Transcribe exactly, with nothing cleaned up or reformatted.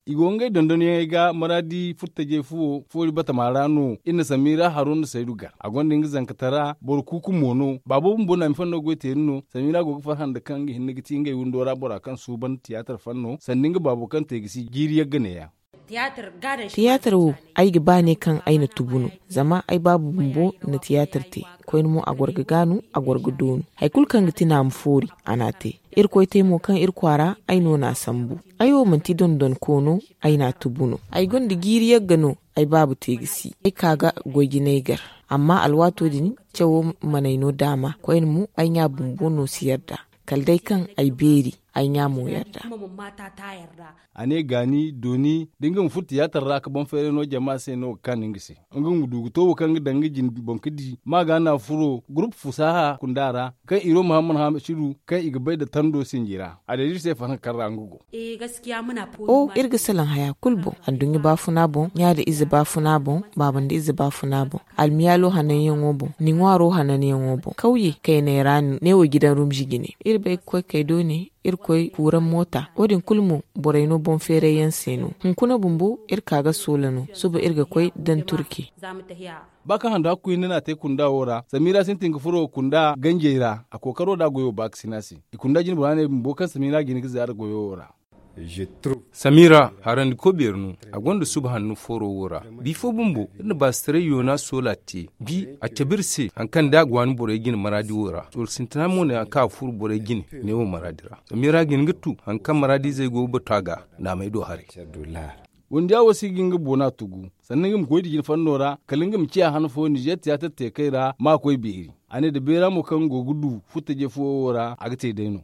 I go ngey dondonyaŋey ga maraadi furtajey fuwo foori batama ra no. Iri na samiira haro nda saydu gar a gonda nga zankatara boro kuuku mo no baabo bumbo na mi fanno goy teeri no. Samiira go ga farhã nda kaŋ nga hinne ga ti ngey windo ra bora kaŋ suuban tiyaatar fanno sanda nga baabo kaŋ te ga si jiiri yagga neeyaŋ. Tiyaatar wo, ay ga ba ne kaŋ ay na tubu no. Zama ay baabu bumbo na tiyaatar te. Koyne mo a goro ga gaanu, a goro ga doonu. Hari kulu kaŋ ga ti naama foori, a n'a te. Irkoy te mo kaŋ iri kwaara, ay no n'a sambu. Ay wo manti dondonko no, ay n'a tubu no. Ay gonda jiiri yagga no, ay baabu te ga si. Ay ka ga goy jinay gar. Amma alwaato din, cawo mana ay no daama. Koyne mo ay ɲa bumbo no si yarda. Kala day kaŋ ay beeri, ay ɲa mo yarda. A ne gaani dooni da nga ma furo tiyaatar ra ka boŋ feeray no jama se no ga kaanu nga se. Nga ma du ga to wo kaŋ ga daŋ nga jine boŋ ga di ma ga na furo gurup fusaaha kunda ra, kaŋ iro muhammad hamidu kaŋ i ga bay nda tando sinji ra a deeda iri se farhã kaŋ ra nga go. O iri ga salaŋ haya kulu boŋ, adduɲɲa baafuna boŋ, ɲa nda ize baafuna boŋ, baaba nda ize baafuna boŋ, almiyaalo hananyaŋo boŋ, ni ŋwaaro hananyaŋo boŋ, kawye kayney ra no ne wo gidan rumzi jine. Iri bay ga koy kay doone, iri koy kuuraŋ moota. Wo- din kulu mo, borey no boŋ feeray yaŋ se no. Hunkuna bumbo iri ka ga soola no. Suba iri ga koy daŋ turke. Ba kaŋ handu hakku hinne no a te kunda wo ra samiira sintin ga furo kunda ganjey ra a kookaro nda a goyo ba ga sina se. I kunda jine bora ne bumbo kaŋ samiira jine ga zaara goyo wo ra. Samiira harandi kobeeri no. A gonda suba hanno fooro wo ra. Bifo bumbo iri na baasitaray yoona soola te. Bi a cabe iri se hari kaŋ da a ga waani borey jine maraadi wo ra sool sintina mo ne hari kaŋ a ga furo borey jine. Ne wo maraadi ra samiira ga hin ga tu hari kaŋ maraadizey go ga batu a ga. Naamey do haray. Wundiya wo si ga nga boona tugu. Sannan nga ma koy da jine fanno ra kala nga ma ciya han fo nizeer tiyaatar teekey ra ma koy beeri. A ne da beera mo kaŋ go ga du furtaje fuwo wo ra a ga te day no.